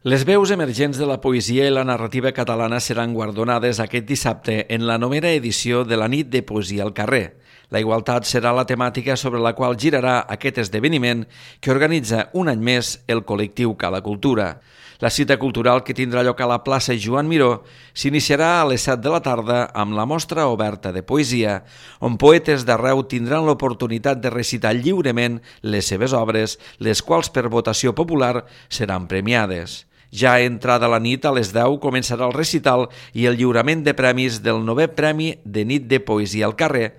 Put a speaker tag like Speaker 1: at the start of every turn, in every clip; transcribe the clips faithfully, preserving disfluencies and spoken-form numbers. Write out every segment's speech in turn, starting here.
Speaker 1: Les veus emergents de la poesia i la narrativa catalana seran guardonades aquest dissabte en la novena edició de la Nit de Poesia al Carrer. La igualtat serà la temàtica sobre la qual girarà aquest esdeveniment que organitza un any més el col·lectiu Cala Cultura. La cita cultural, que tindrà lloc a la plaça Joan Miró, s'iniciarà a les set de la tarda amb la mostra oberta de poesia, on poetes d'arreu tindran l'oportunitat de recitar lliurement les seves obres, les quals per votació popular seran premiades. Ja entrada la nit, a les deu, començarà el recital i el lliurament de premis del novè Premi de Nit de Poesia al Carrer,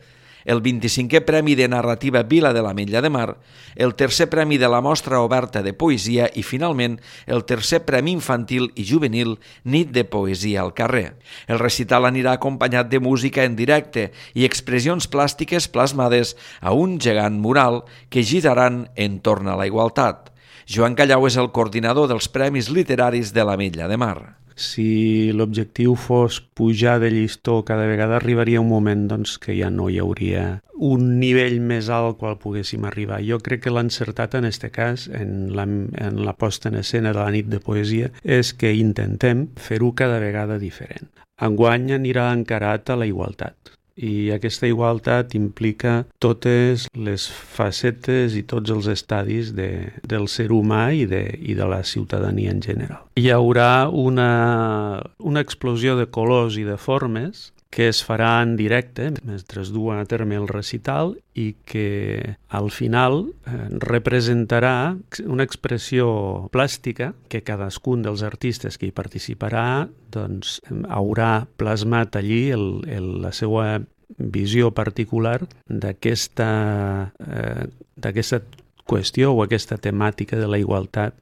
Speaker 1: el vint-i-cinquè Premi de Narrativa Vila de l'Ametlla de Mar, el tercer Premi de la Mostra Oberta de Poesia i, finalment, el tercer Premi Infantil i Juvenil Nit de Poesia al Carrer. El recital anirà acompanyat de música en directe i expressions plàstiques plasmades a un gegant mural que giraran entorn a la igualtat. Joan Callau és el coordinador dels Premis Literaris de l'Ametlla de Mar.
Speaker 2: Si l'objectiu fos pujar de llistó cada vegada, arribaria un moment doncs, que ja no hi hauria un nivell més alt al qual poguéssim arribar. Jo crec que l'encertat en aquest cas, en la, en la posta en escena de la nit de poesia, és que intentem fer-ho cada vegada diferent. Enguany anirà encarat a la igualtat. I aquesta igualtat implica totes les facetes i tots els estadis de, del ser humà i de, i de la ciutadania en general. Hi haurà una, una explosió de colors i de formes que es farà en directe mentre es du a terme el recital i que al final eh, representarà una expressió plàstica que cadascun dels artistes que hi participarà doncs, haurà plasmat allí el, el, la seva visió particular d'aquesta, eh, d'aquesta qüestió o aquesta temàtica de la igualtat